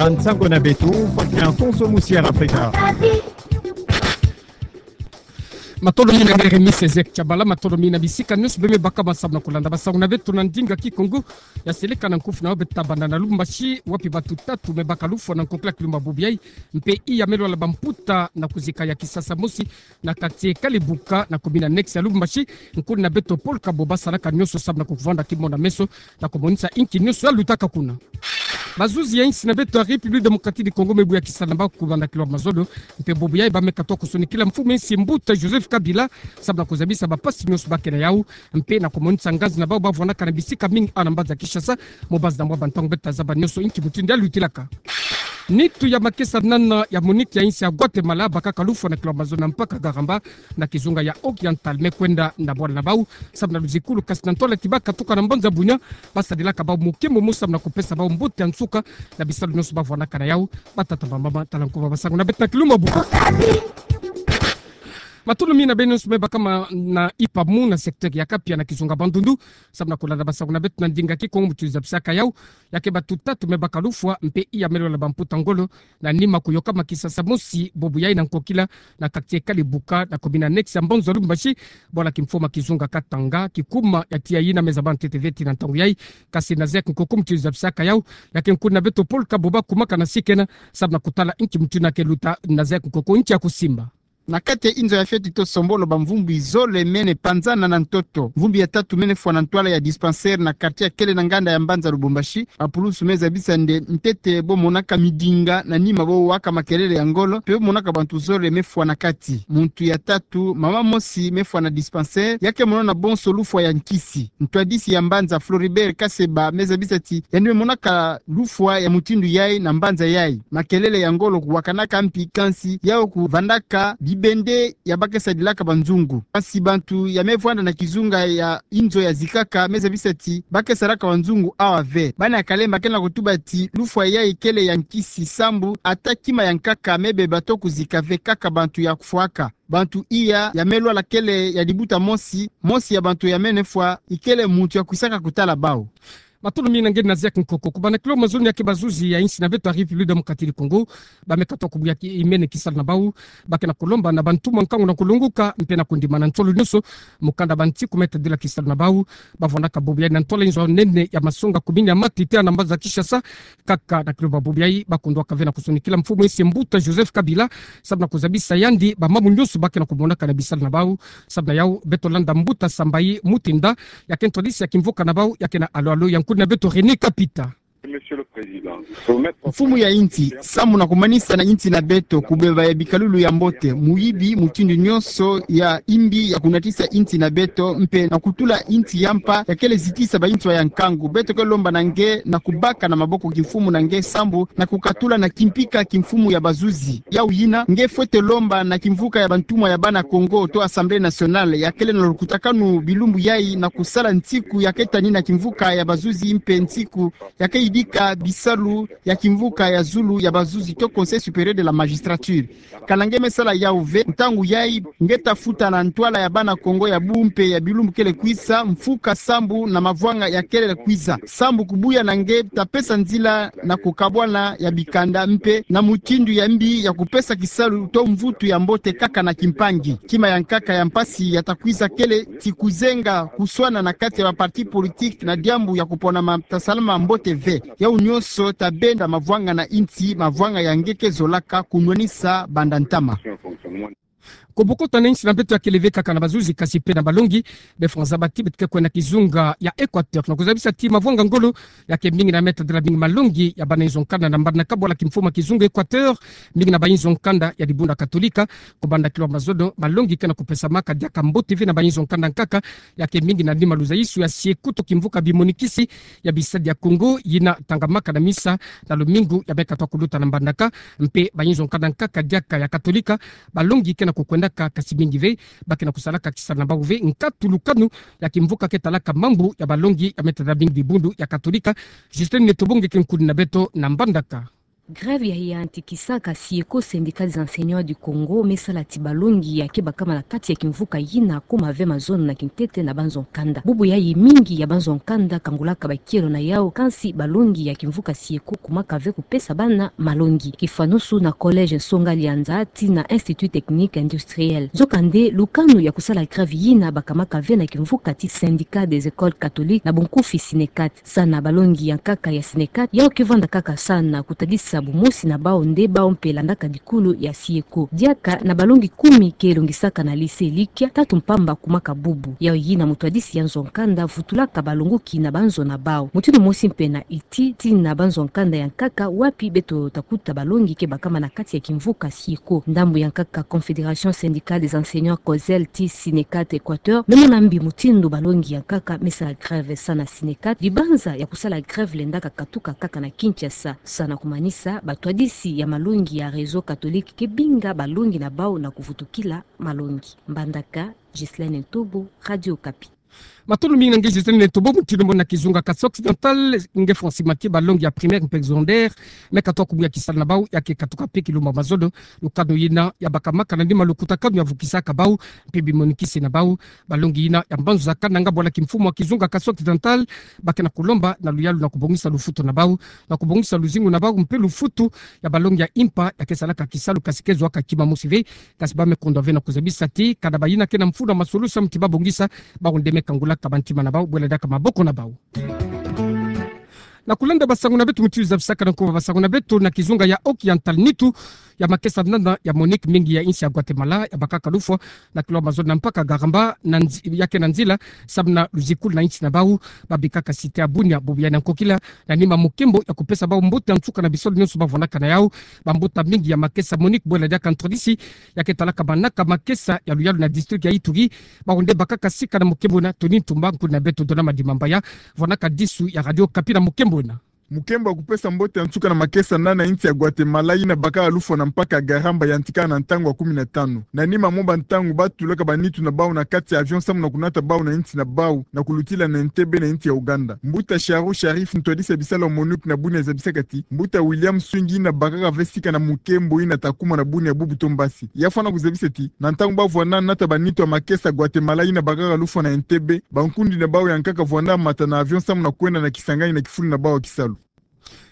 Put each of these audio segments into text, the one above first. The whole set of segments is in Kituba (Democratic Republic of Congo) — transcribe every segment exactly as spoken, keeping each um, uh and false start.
Nsango na beto, Faustin Afonso, Musi ya Afrika. Matolo mina ngere Miss Ezek Chabala, matolo mina bisika nyonso bê me baka ma samu na kulanda basango na beto na ndinga Kikongo. Ya seleka na nkufi na beto tabanda na Lubumbashi, wapi batu tatu me baka lufwa na nkokila kilumbu bubu yayi, mpe iya me lwala bamputa na kuzika ya kisasa mosi na quartier Kalibuka na commune annexe ya Lubumbashi. Nkuna na beto Paul Kabo basalaka nyonso samu na kuvanda kimono na meso na kumonisa inki nyonso ya lutaka kuna. Bazuzi ya insi na beto ya République Démocratique du Congo me buya kisalu na bau kubanda kilwa mazono, mpe bubu yayi ba me katuka kusonikila mfumu ya insi mbuta Joseph Kabila samu na kuzabisa bampasi nyonso ba ke na yau, mpe na kumonisa ngazi na bau ba vwanaka na bisika mingi awa na mbanza Kinshasa. Mu bazi na mwa bantangu beto tazaba nyonso inki mutindu ya lutilaka. Nitu ya makesa nana ya MONUC ya insi ya Guatemala bakaka lufwa na kilwa mazono na mpaka Garamba na kizunga ya Oriental, me kwenda na bwala na bau samu na luzikulu, kasi na ntwala ti ba katuka na mbanza Bunia, basadilaka bau mukimbu mu samu na kupesa bau mbote ya nsuka na bisalu nyonso ba vwanaka na yau. Batata, bamama, tala nkuba basango na beto na kilumbu bubu. Matolo mina beno nyonso me baka ma na ipa mu na secteur ya Kapia na kizunga Bandundu samu na kulanda basango na beto na ndinga Kikongo. Mutindu zabisaka yau, ya ke batu tatu me baka lufwa mpe iya me lwala bamputa ngolo na nima kuyoka ma kisasa mosi bubu yayi na nkokila na quartier Kalibuka na commune annexe ya mbanza Lubumbashi, bwala kimfumu ya kizunga Katanga, kikuma ya tiya yina me zaba ntete ve tii na ntangu yayi. Kasi na zeya kinkoko mutindu zabisaka yau, ya ke nkuna na beto Paul Kabo ba kumaka na sikena samu na kutala inki mutindu ya ke luta na zeya kinkoko, inki ya kusimba. Na kati ya inzo ya fioti to sombolo, bamvumbi zole mene panzana na ntoto. Mvumbi ya tatu mene fwa na ntwala ya dispensaire na quartier ya kele na nganda ya mbanza Lubumbashi. Bapulusu me zabisa nde ntete bo monaka midinga na nima bo waka makelele ya ngolo, mpe bo monaka bantu zole me fwa na kati. Muntu ya tatu, mama mosi me fwa na dispensaire, ya ke monona bonso lufwa ya nkisi. Ntwadisi ya mbanza Floribert Kaseba me zabisa ti yandi me monaka lufwa ya mutindu yayi na mbanza yayi. Makelele ya ngolo kuwakanaka mpi, kansi yau kuvandaka bibende ya ba ke sadilaka banzungu. Kansi bantu ya me vwanda na kizunga ya inzo ya zikaka me zabisa ti ba ke salaka banzungu awa ve. Bana ya Kalemba ke na kutuba ti lufwa yayi kele ya nkisi sambu ata kima ya nkaka me beba to kuzika ve, kaka bantu ya kufwaka. Bantu iya ya me lwala kele ya dibuta mosi, mosi ya bantu ya mene fwa ikele muntu ya kwisaka kutala bau. Matolo mina nge na zeya kinkoko. Kubanda kilwa mazono, ya ke bazuzi ya insi na beto ya République Démocratique du Congo ba me katuka kubuya ki-, imene kisalu na bau. Ba ke na kulomba na bantumwa nkangu na kulonguka mpe na kundima na nsolo nyonso mukanda ba ntiku me tadila kisalu na bau. Ba vwanaka bubu yayi na ntwala inzo nene ya masonga, commune ya Matete na mbanza Kinshasa. Kaka na kilumbu bubu yayi ba kundwaka ve na kusonikila mfumu ya insi mbuta Joseph Kabila samu na kuzabisa yandi bamambu nyonso ba ke na kumonaka na bisalu na bau. Samu na yau beto landa mbuta Sambayi Mutinda, ya ke ntwadisi ya kimvuka na bau, ya ke na alo-alo ya nkuna na beto René Kapita. Mfumu ya insi, samu na kumanisa na insi na beto kubeba ya bikalulu ya mbote, muyibi, mutindu nyonso ya imbi ya kunatisa insi na beto, mpe na kutula insi ya mpa ya kele zitisa banswa ya nkangu. Beto ke lomba na nge na kubaka na maboko kimfumu na nge sambu na kukatula na kimpika kimfumu ya bazuzi. Yau yina, nge fwete lomba na kimvuka ya bantumwa ya bana Kongo to Assemblée nationale ya kele na lukutakanu bilumbu yayi na kusala nsiku ya ke tani na kimvuka ya bazuzi mpe nsiku ya ke yidika bisalu ya kimvuka ya zulu ya bazuzi to Conseil supérieur de la magistrature. Kana nge me sala yau ve, ntangu yayi nge ta futa na ntwala ya bana Kongo ya bu mpe ya bilumbu kele kwisa, mfuka sambu na mavwanga ya kele kwisa. Sambu kubuya na nge ta pesa nzila na kukabwana ya bikanda mpe na mutindu ya mbi ya kupesa kisalu to mvutu ya mbote kaka na kimpangi. Kima ya nkaka ya mpasi ya ta kwisa kele ti kuzenga kuswana na kati ya ba parti politique na diambu ya kupona ma ta salama mbote ve. Yau nyonso ta benda mavwanga na insi, mavwanga ya nge ke zolaka kunwanisa banda ntama. Kubokota na insi na beto ya kele ve kaka na bazuzi, kasi mpe na balongi. Be fwa nzaba ti beto ke kwenda kizunga ya Équateur na kuzabisa ti mavwanga ngolo ya ke mingi na me tadila mingi malongi ya bana inzo nkanda na mbandaka bwala kimfumu ya kizunga Équateur, mingi na ba inzo nkanda ya dibundu ya Katolika. Kubanda kilwa mazono, malongi ke na kupesamaka diaka mbote ve na ba inzo nkanda nkaka ya ke mingi na nima luzayisu ya sieko to kimvuka bimonikisi ya bisadi ya Kongo yina tangamaka na misa na lumingu ya me katuka kuluta na mbandaka. Mpe ba inzo nkanda nkaka diaka ya Katolika, balongi ke na kukwendaka, kasi mingi ve ba ke na kusalaka kisalu na bau ve nkatulukanu ya kimvuka ke talaka mambu ya balongi ya me tadila mingi dibundu ya Katolika. Justin Netobonge ke nkuni na beto na mbandaka. Grève ya yantikisaka SYECO, Syndicat des Enseignants du Congo, me sala ti balongi ya ke bakama na kati ya kimvuka yina, kuma ve mazono na kintete na banzo nkanda. Bubu yayi mingi ya banzo nkanda kangulaka bakielo na yau, kansi balongi ya kimvuka SYECO kumaka ve kupesa bana malongi. Kifanusu na Collège Nsonga Lianza tii na Institut Technique Industriel. Nzokande, lukanu ya kusala grève yina bakamaka ve na kimvuka ti Syndicat des Écoles Catholiques, na bunkufi SYNECAT. Sana balongi ya nkaka ya SYNECAT, yau ke vanda kaka sana kutadisa bumosi na bau nde bau mpe landaka dikulu ya SYECO. Diaka na balongi kumi ke longisaka na lycée Likia, tatu mpamba kumaka bubu. Yau yina mutwadisi ya nzo nkanda vutulaka balongoki na banzo na bau. Mutindu mosi mpe na iti, tii na banzo nkanda ya nkaka, wapi beto takuta balongi ke bakama na kati ya kimvuka SYECO. Ndambu ya nkaka Confédération Syndicale des Enseignants, COSEL, tii SYNECAT Équateur, me mona mbi mutindu balongi ya nkaka me sala grève sana SYNECAT, dibanza ya kusala grève lendaka katuka kaka na Kinshasa. Sana kumanisa, batwadisi ya malongi ya Réseau Catholique ke binga balongi na bau na kuvutukila malongi. Mbandaka, Ghislaine Ntobo, Radio Okapi. Matondo mingi na nge Ghislaine Ntobo. Mutindu mona na kizunga Kasai Occidental, nge Francis Mathieu, balongi ya primaire mpe secondaire me katuka kumuya kisalu na bau, ya ke katuka mpe kilumba mazono. Lukanu yina ya bakamaka na nima lukutakanu ya vukisaka bau mpe bimonikisi na bau. Balongi yina ya mbanzo za Kananga, bwala kimfumu ya kizunga Kasai Occidental, ba ke na kulomba na luyalu na kubongisa lufutu na bau, na kubongisa luzingu na bau mpe lufutu ya balongi ya impa ya ke salaka kisalu, kasi ke zuaka kima mosi ve. Kasi ba me kondwa ve na kuzabisa ti, kana bayina ke na mfunu ya masolution ti babongisa, bau nde me kangulaka bantima na bau, bwela diaka maboko na bau. Na kulenda basangu na beto mutindu zabisaka na nkuba basangu na beto, na kizunga ya Occidental, nitu ya makesa nana ya MONUC mingi ya insi ya Guatemala ya bakaka lufwa na kilomètre mazono na mpaka Garamba, na nzi-, ya ke na nzila samu na luzikulu na insi na bau, babikaka cité ya Bunia, bubu ya na nkokila, na nima mukembo ya kupesa bau mbote ya nsuka na bisalu nyonso bavwanaka na yau. Bambuta mingi ya makesa MONUC, bwela diaka ntwadisi ya ke talaka manaka makesa ya luyalu na district ya Ituri, bau nde bakaka sika na mukembo na. Tony Ntumba, nkuni na beto Donama Dimambaya, vwanaka disu ya Radio Okapi na mukembo ena. Mukembo ya kupesa mbote ya nsuka na makesa nana ya insi ya Guatemala yina bakaka lufwa na mpaka Garamba yantikaka na ntangu ya kumi na tanu. Na nima mwa bantangu batulaka banitu na bau na kati ya avion samu na kunata bau na insi na bau na kulutila na Entebbe na insi ya Ouganda. Mbuta Sharu Sharif, ntwadisi ya bisalu ya MONUC na Bunia, zabisaka ti mbuta William Swing yina bakaka ve sika na mukembo yina ta kuma na Bunia bubu to mbasi, ya fwana kuzabisa ti na ntangu bavwanda nata banitu ya makesa Guatemala yina bakaka lufwa na Entebbe, bankundi na bau ya nkaka vwanda mata na avion samu na kwenda na kisangani na kifulu na bau ya kisalu.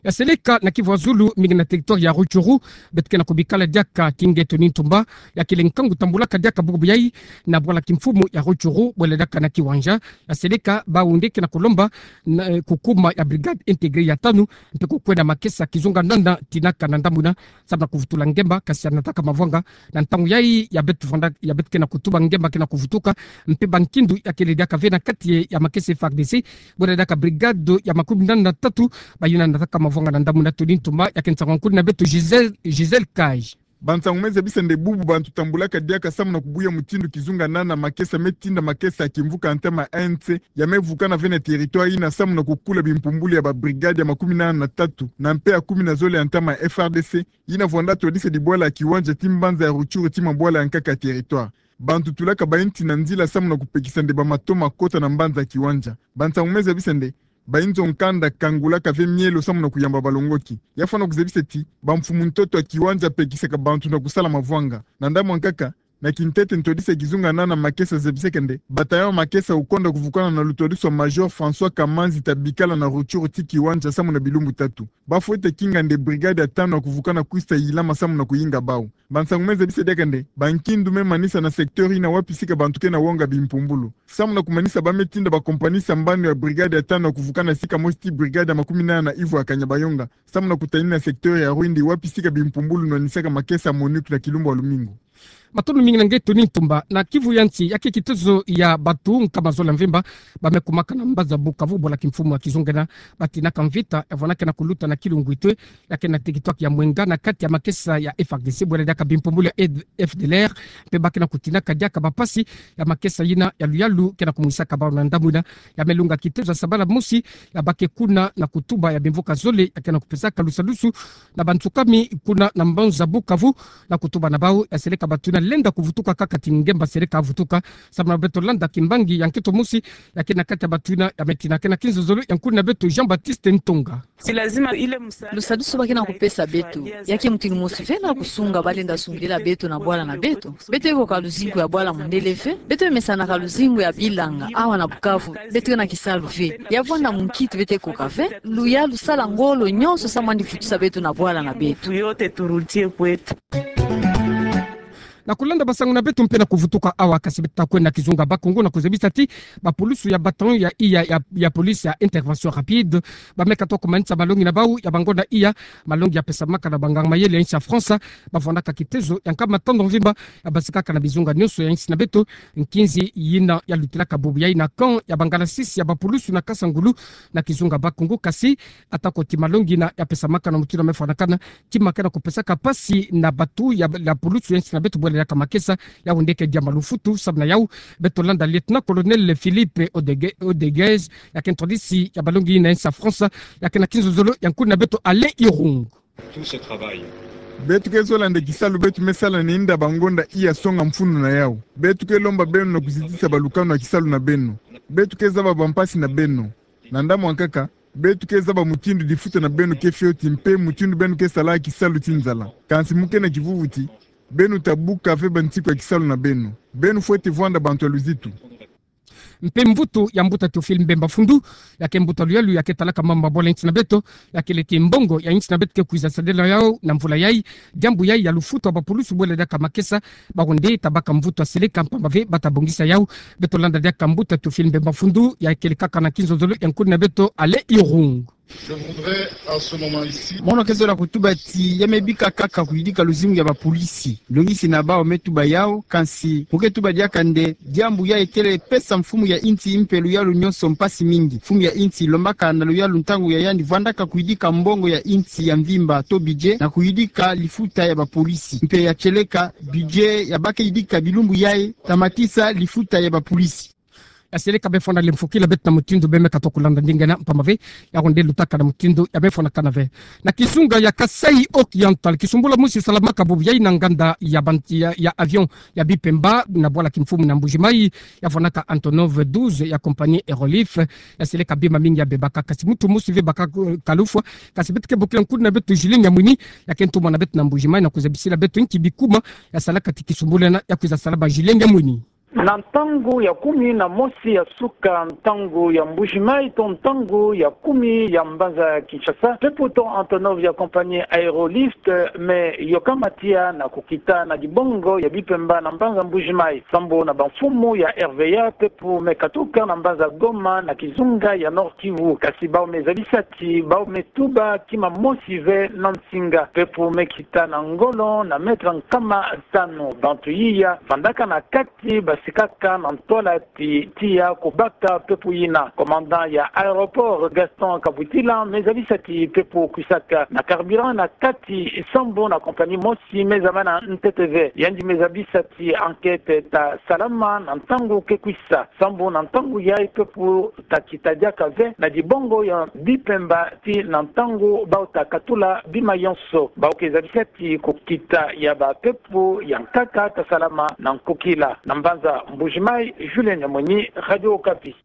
Ya seleka na Kivu ya Zulu, mingi na territoire ya Rutshuru, beto ke na kubikala diaka, kinge Tony Ntumba, ya kele nkangu tambulaka diaka bubu yayi na bwala kimfumu ya Rutshuru, bwela diaka na Kiwanja. Ya seleka, bau nde ke na kulomba na, eh, kukuma ya brigade intégrée ya tanu, mpe kukwenda makesa kizunga nana tinaka na ndambu ina, samu na kuvutula ngemba, kasi ya nataka mavwanga. Na ntangu yayi ya beto vwanda, ya beto ke na kutuba, ngemba ke na kuvutuka, mpe bankindu ya kele diaka ve na kati ya makesa FARDC, bwela diaka brigade ya makumi nana na tatu, bayina nataka mavwanga na ndambu ina. Tony Ntumba, ya ke nsangu ya nkuni na beto Gisèle, Gisèle Kaj. Bansangu me zabisa nde bubu bantu tambulaka diaka samu na kubuya mutindu kizunga nana makesa me tinda makesa ya kimvuka ya ntama ya ANC ya me vukana ve na territoire ina samu na kukula bimpumbulu ya ba brigade ya makumi nana na tatu na mpe ya kumi na zole ya ntama ya FARDC, yina vwanda twadisa dibwala ya Kiwanja ti mbanza ya Rutshuru ti mabwala ya nkaka ya territoire. Bantu tulaka bainti na nzila samu na kupekisa nde bamato makota na mbanza ya Kiwanja. Bansangu me zabisa nde bainzo nkanda kangulaka ve mielo samu na kuyamba balongoki. Ya fwana kuzabisa ti bamfumu ntoto ya Kiwanja pekisaka bantu na kusala mavwanga. Na ndambu ya nkaka, na kintete ntwadisi ya kizunga nana makesa zabisaka nde bataillon ya makesa ukonda kuvukana na lutwadisu ya Major François Kamanzi ta bikala na Rutshuru ti Kiwanja samu na bilumbu tatu. Bafwete kinga nde brigade ya tanu ya kuvukana kwisa yilama samu na kuyinga bau. Bansangu me zabisa diaka nde bankindu me manisa na secteur ina wapi sika bantu ke na wonga bimpumbulu. Samu na kumanisa, ba me tinda ba compagnie sambanu ya brigade ya tanu ya kuvukana sika mosi ti brigade ya makumi nana na ivo ya Kanyabayonga samu na kutanina secteur ya Rwindi wapi sika bimpumbulu nwanisaka makesa ya MONUC na kilumbu ya lumingu. Matondo mingi na nge Tony Ntumba. Na Kivu ya Nsi, ya ke kitezo ya bantu nkama zole ya mvimba ba me kumaka na mbanza Bukavu, bwala kimfumu ya kizunga ena, batinaka mvita ya vwanda ke na kuluta na Kilungwitwe, ya ke na territoire ya Mwenga, na kati ya makesa ya FARDC, bwela diaka bimpumbulu ya F D L R, mpe ba ke na kutinaka diaka bampasi ya makesa yina ya luyalu ke na kumwisaka bau. Na ndambu ina, ya me lunga kitezo ya sabala mosi ya ba ke kuna na kutuba ya bimvuka zole ya ke na kupesaka lusadusu na bansukami kuna na mbanza Bukavu, na kutuba na bau. Ya seleka bato yina lenda kuvutuka kaka ti ngemba seleka avutuka, sababu na beto landa kimbangi ya nkento mosi, ya ke na kati ya batu yina ya metina ke na kinzozolo ya nkuni na beto Jean-Baptiste Ntonga. Lusadusu ba ke na kupesa beto, ya ke mutindu mosi ve na kusunga ba lenda sungila beto na bwala na beto. Beto ekoka luzingu ya bwala mundele ve, beto emesanaka luzingu ya bilanga, awa na Bukavu, beto ke na kisalu ve. Ya vwanda munkito beto ekoka ve, luyalu sala ngolo nyonso samu na kuvutisa beto na bwala na beto. Na kulanda basango na beto mpe na kuvutuka awa, kasi beto ta kwenda na kizunga Bas-Congo na kuzabisa ti bapulusu ya bataillon ya iya ya, ya police ya intervention rapide, ba me katuka kumanisa malongi na bau ya bangonda iya, malongi ya pesamaka na banganga mayele ya insi ya France, ba vwandaka kitezo ya nkama tando mvimba, ya basikaka na bizunga nyonso ya insi na beto, nkinzi yina ya lutilaka bubu yayi na camp ya bangala sisi ya bapulusu na Kasangulu, na kizunga Bas-Congo, kasi atako ti malongi yina ya pesamaka na mutindu ya me fwanakana, ti ma ke na kupesaka mpasi na batu ya, ya pulusu ya insi na beto bwele diaka makesa, yau nde ke diambu ya lufutu, sababu na yau, beto landa lieutenant-colonel Philippe Odege-, Odeguez, ya ke ntwadisi ya balongi yina ya insi ya France, ya ke na kinzozolo ya nkuni na beto Alain Irung. Beto ke zola nde kisalu beto me sala na yinda bangonda iya songa mfunu na yau. Beto ke lomba beno na kuzitisa balukanu ya kisalu na beno. Beto ke zaba bampasi na beno. Na ndambu ankaka, beto ke zaba mutindu difuta na beno ke fioti mpe mutindu beno ke sala kisalu ti nzala. Kansi mu ke na kivuvu ti beno ta buka ve bansiku ya kisalu na beno. Beno fwete vwanda bantu ya luzitu. Mpe mvutu ya mbuta Théophile Mbemba Fundu, ya ke mbuta luyalu ya ke talaka mambu ya bwala ya insi na beto, ya ke leke mbongo ya insi na beto ke kwiza sadila yau na mvula yayi, diambu yayi ya lufutu ya bapulusu bwele diaka makesa, bau nde ta baka mvutu ya seleka mpamba ve ba ta bongisa yau. Beto landa diaka mbuta Théophile Mbemba Fundu, ya ke lekaka na kinzozolo ya nkuni na beto Alain Irung. Mono ke zola kutuba ti ya me bika kaka kuyidika luzingu ya bapolisi. Longisi na bau me tuba yau, kansi mu ke tuba diaka nde diambu yayi kele pesa mfumu ya insi mpe luyalu nyonso mpasi mingi. Mfumu ya insi lombaka na luyalu ntangu ya yandi vwandaka kuyidika mbongo ya insi ya mvimba to budget na kuyidika lifuta ya bapolisi. Mpe ya tieleka budget ya ba ke yidika bilumbu yayi ta matisa lifuta ya bapolisi. Ya seleka be fwana lemfokila beto na mutindu be me katuka kulanda ndinga yina mpamba ve, yau nde lutaka na mutindu ya me fwanakana ve. Na kizunga ya Kasaï Oriental, kisumbula mosi salamaka bubu yayi na nganda ya ban-, ya, ya avion ya Bipemba na bwala kimfumu na Mbuji-Mayi, ya vwanaka Antonov douze ya compagnie Aerolif, ya seleka bima mingi ya bebaka, kasi muntu mosi ve baka, eh, kalufwa, kasi beto ke bokila nkuni na beto Julien Nyamwini, ya ke ntumwa na beto na Mbuji-Mayi na kuzabisila beto nki bikuma ya salaka ti kisumbula yina ya kwiza salama. Julien Nyamwini. Na ntangu ya kumi na mosi ya suka ntangu ya Mbuji-Mayi to ntangu ya kumi ya mbanza Kinshasa, pepo to Antonov ya compagnie Aerolif me yokama tiya na kukita na dibongo ya Bipemba na mbanza Mbuji-Mayi, sambu na bamfumu ya R V A pepo me katuka na mbanza Goma na kizunga ya Nord-Kivu. Kasi bau me zabisa ti bau me tuba kima mosi ve na nsinga, pepo me kita na ngolo na mètre nkama tanu. Bantu yiya vandaka na kati basikaka na ntwala ti tiya kubaka pepo yina. Commandant ya aéroport Gaston Kabutila me zabisa ti pepo kwisaka na carburant na kati sambu na compagnie mosi me zaba na ntete ve. Yandi me zabisa ti enquête ta salama na ntangu ke kwisa, sambu na ntangu yayi pepo ta kita diaka ve na dibongo ya Bipemba ti na ntangu bau ta katula bima yonso. Bau ke zabisa ti kukita ya bapepo ya nkaka ta salama na nkokila. Na mbanza Mbuji-Mayi, Julien Nyamwini, Radio Okapi.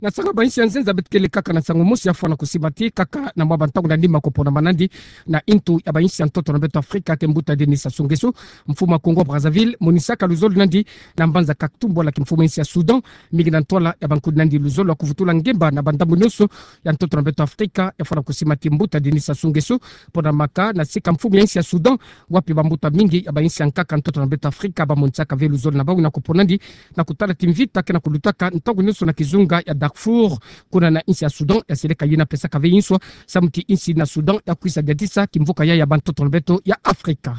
Na sanga ba insi ya nzenza, beto kele kaka na sango mosi ya fwana kusima ti kaka na mwa bantangu na nima kupona manandi na intu ya ba insi ya ntoto na beto Afrika, ke mbuta Denis Sassou Nguesso, mfumu wa Congo Brazzaville, monisaka luzolo nandi na mbanza Khartoum, bwala kimfumu ya insi ya Soudan, mingi na ntwala ya bankudi nandi luzolo ya kuvutula ngemba na bandambu nyonso ya ntoto na beto Afrika. Ya fwana kusima ti mbuta Denis Sassou Nguesso, pona maka na sika mfumu ya insi ya Soudan, wapi bambuta mingi ya ba insi ya nkaka ntoto na beto Afrika bamonisaka ve luzolo na bau na kupona nandi, na kutala ti mvita ke na kulutaka ntangu nyonso na kizunga ya Darfour, kuna na insi ya Soudan. Ya seleka yina pesaka ve inswa samu ti insi na Soudan ya kwisa diatisa kimvuka ya ya bantoto na beto ya Afrika.